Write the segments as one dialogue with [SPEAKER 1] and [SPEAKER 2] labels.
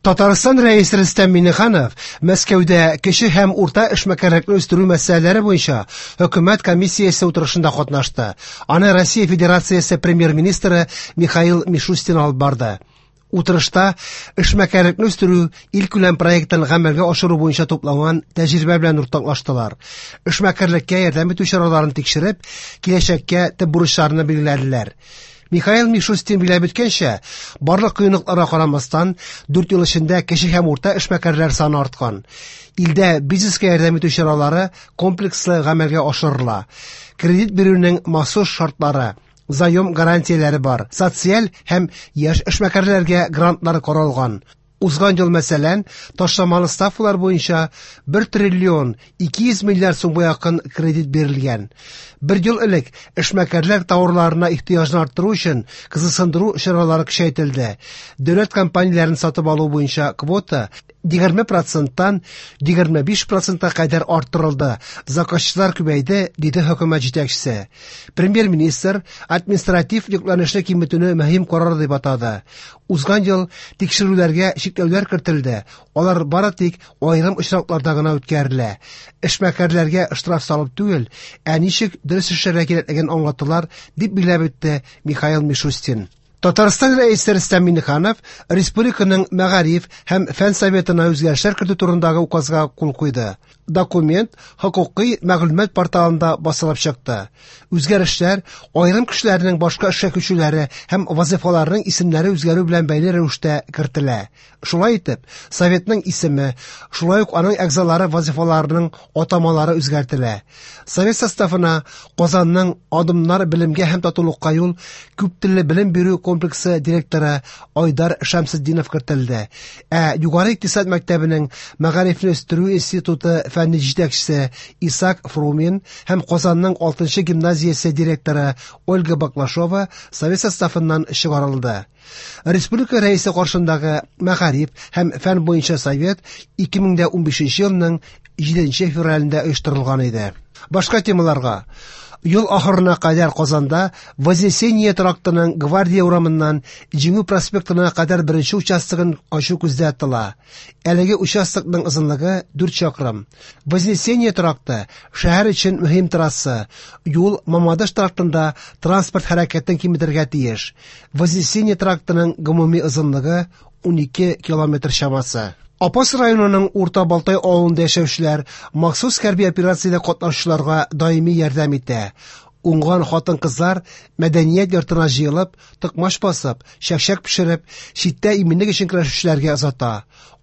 [SPEAKER 1] Татарстан Рәисе Рөстәм Миңнеханов Мәскәүдә кече һәм урта эшмәкәрлекне үстерү мәсьәләләре буенча хөкүмәт комиссиясе утырышында катнашты. Аны Россия Федерациясе премьер-министры Михаил Мишустин алып барды. Утырышта эшмәкәрлекне үстерү илкүләм проектын гамәлгә ашыру буенча тупланган тәҗрибә белән уртаклаштылар. Эшмәкәрлеккә ярдәм итү чараларын тикшереп, киләчәккә төп бурычларны билгеләделәр. Михаил Мишустин билгеләп үткәнчә, барлык кыенлыкларга карамастан, 4 ел эчендә кече һәм урта эшмәкәрләр саны арткан. Илдә бизнеска ярдәм итү чаралары комплекслы гамәлгә ашырыла. Кредит бирүнең махсус шартлары, заем гарантияләре бар. Социаль һәм яшь эшмәкәрләргә грантлар каралган. Узган ел, мәсәлән, ташламалы ставкалар буенча 1 триллион 200 миллиард сумга якын кредит бирелгән. Бер ел элек эшмәкәрләр тауарларына ихтыяҗны арттыру өчен кызыксындыру чаралары көчәйтелде. Дәүләт компанияләрен сатып алу буенча квота 20 проценттан 25 процентка кадәр арттырылды. Заказчылар күбәйде, диде хөкүмәт җитәкчесе. Премьер-министр административ йөкләнешне киметүне мөһим карар дип атады. Узган ел тикшерүләргә чикләүләр кертелде. Алар бары тик аерым очракларда гына үткәрелә. Эшмәкәрләргә штраф салып түгел, ә ничек дөрес эшләргә кирәклеген аңлаттылар, дип билгеләп үтте Михаил Мишустин. Татарстан Рәисе Рөстәм Миңнеханов республиканың Мәгариф һәм фән советына үзгәрешләр кертү турындагы указга кул куйды. Документ хокукый мәгълүмат порталында басылып чыкты. Үзгәрешләр аерым кешеләрнең башка эшкә күчүләре һәм вазифаларының исемнәре үзгәрү белән бәйле рәвештә кертелә. Шулай итеп, советның исеме, шулай ук аның әгъзалары вазифаларының атамалары үзгәртелә. Совет составына Казанның Адымнар белемгә һәм татулыкка юл күптелле белем бирү комплексы директоры Айдар Шәмсетдинов кертелде. Ә Югары икътисад мәктәбенең Мәгарифне үстерү институты фәнни җитәкчесе Исаак Фрумин һәм Казанның 6 гимназиясе директоры Ольга Баклашова совет составыннан чыгарылды. Республика Рәисе каршындагы Мәгариф һәм фән буенча совет 2015 елның 7 февралендә оештырылган иде. Башка темаларга. Ел ахырына кадәр Казанда Вознесение трактының Гвардия урамыннан Җиңү проспектына кадәр беренче участогын ачу күздә тотыла. Әлеге участокның озынлыгы 4 чакрым. Вознесение тракты шәһәр өчен мөһим трасса. Юл Мамадыш трактында транспорт хәрәкәтен киметергә тиеш. Вознесение трактының гомуми озынлыгы 12 километр чамасы. Апас районының Урта Балтай авылында яшәүчеләр махсус хәрби операциядә катнашучыларга даими ярдәм итә. Уңган хатын-кызлар мәдәният йортына җыелып, токмач басып, чәкчәк пешереп, читтә иминлек өчен көрәшүчеләргә озата.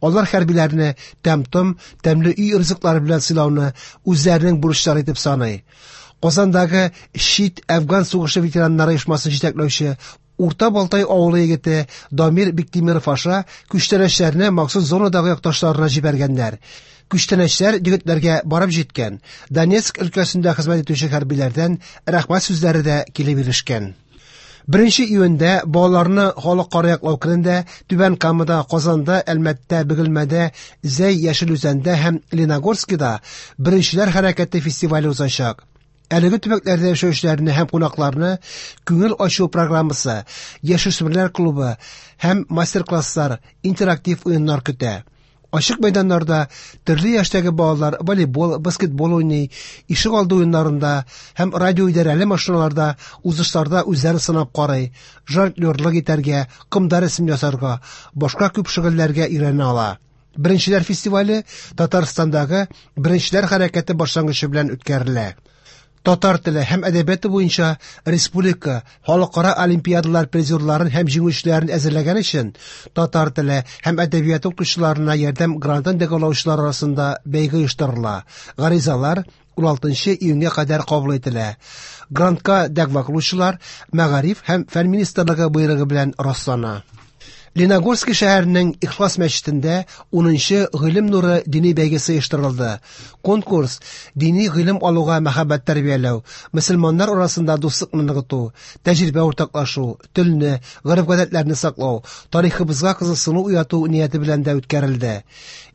[SPEAKER 1] Алар хәрбиләрне тәм-том, тәмле өй ризыклары белән сыйлауны үзләренең бурычлары итеп саный. Казандагы чит Әфган сугышы ветераннары оешмасын җитәкләүче Урта Балтай авылы егете Дамир Биктимиров аша күчтәнәчләрне махсус зонадагы якташларына җибәргәннәр. Күчтәнәчләр егетләргә барып җиткән. Донецк өлкәсендә хезмәт итүче хәрбиләрдән рәхмәт сүзләре дә килеп ирешкән. 1 июньдә балаларны халыкара яклау көнендә Түбән Камада, Казанда, Әлмәттә, Бөгелмәдә, Зәй, Яшел Үзәндә һәм Леногорскида Беренчеләр хәрәкәте фестивале узачак. Әлеге төбәкләрдә яшәүчеләрне һәм кунакларны күңел ачу программасы, яшүсмерләр клубы һәм мастер-класслар, интерактив уеннар көтә. Ачык мәйданнарда төрле яшьтәге балалар волейбол, баскетбол уйный, ишек алды уеннарында һәм радиоидарәле машиналарда узышларда үзләрен сынап карый, жонглерлык итәргә, комда рәсем ясарга, башка күп шөгыльләргә өйрәнә ала. Беренчеләр фестивале Татарстандагы Беренчеләр хәрәкәте башлангычы белән үткәрелә. Татар теле һәм әдәбияты буенча республика халыкара олимпиадалар призерларын һәм җиңүчеләрен әзерләгән өчен татар теле һәм әдәбияты укытучыларына ярдәм грантын дәгъвалаучылар арасында бәйге оештырыла. Гаризалар 16 июньгә кадәр кабул ителә. Грантка дәгъва кылучылар Мәгариф һәм фән министрлыгы боерыгы белән раслана. Леногорский шәһәренең Ихлас мәчетендә 10нчы Гыйлем нуры дини бәйгесе оештырылды. Конкурс дини гыйлем алуга мәхәббәт тәрбияләү, мөселманнар арасында дуслыкны ныгыту, тәҗрибә уртаклашу, телне, гореф-гадәтләрне саклау, тарихыбызга кызыксыну уяту нияте белән дә үткәрелде.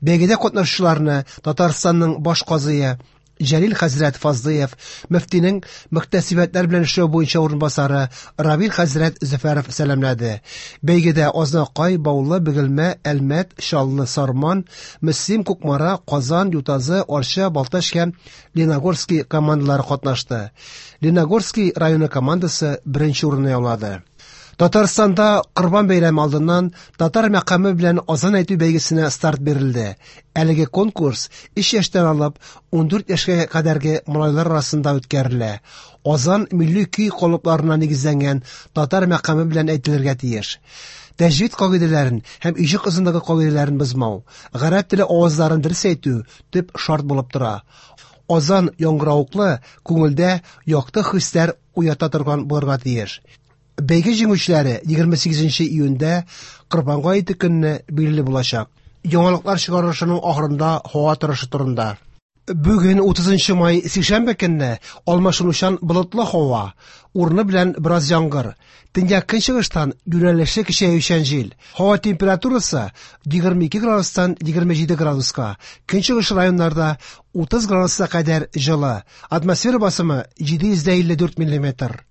[SPEAKER 1] Бәйгедә катнашучыларны Татарстанның баш казые Җәлил хәзрәт Фазлыев, мөфтинең мөхтәсибәтләр белән эшләү буенча урынбасары Равил хәзрәт Зөфәров сәламләде. Бәйгедә Азнакай, Баулы, Бөгелмә, Әлмәт, Чаллы, Сарман, Мөслим, Кукмара, Казан, Ютазы, Арча, Балтач һәм Леногорский командалары катнашты. Леногорский районы командасы беренче урынны яулады. Татарстанда Корбан бәйрәме алдыннан татар мәкаме белән азан әйтү бәйгесенә старт бирелде. Әлеге конкурс 3 яшьтән алып 14 яшькә кадәрге малайлар арасында үткәрелә. Азан милли көй калыпларына нигезләнгән татар мәкаме белән әйтелергә тиеш. Тәҗвид кагыйдәләрен һәм иҗек озынлыгы кагыйдәләрен бозмау, гарәп теле авазларын дөрес әйтү төп шарт булып тора. Азан яңгыравыклы, күңелдә якты хисләр уята торган булырга тиеш. Бәйге җиңүчеләре 28 июньдә Корбан гаете көнне билгеле булачак. Яңалыклар чыгарылышының ахырында һава торышы турында. Бүген 30 май сишәмбе көнне алмашынучан болытлы һава, урыны белән бераз яңгыр. Төньяк көнчыгыштан юнәлеше көчәючән җил. Һава температурасы 22 градустан 27 градуска. Көнчыгыш районнарда 30 градуска кадәр җылы. Атмосфера басымы 754 миллиметр.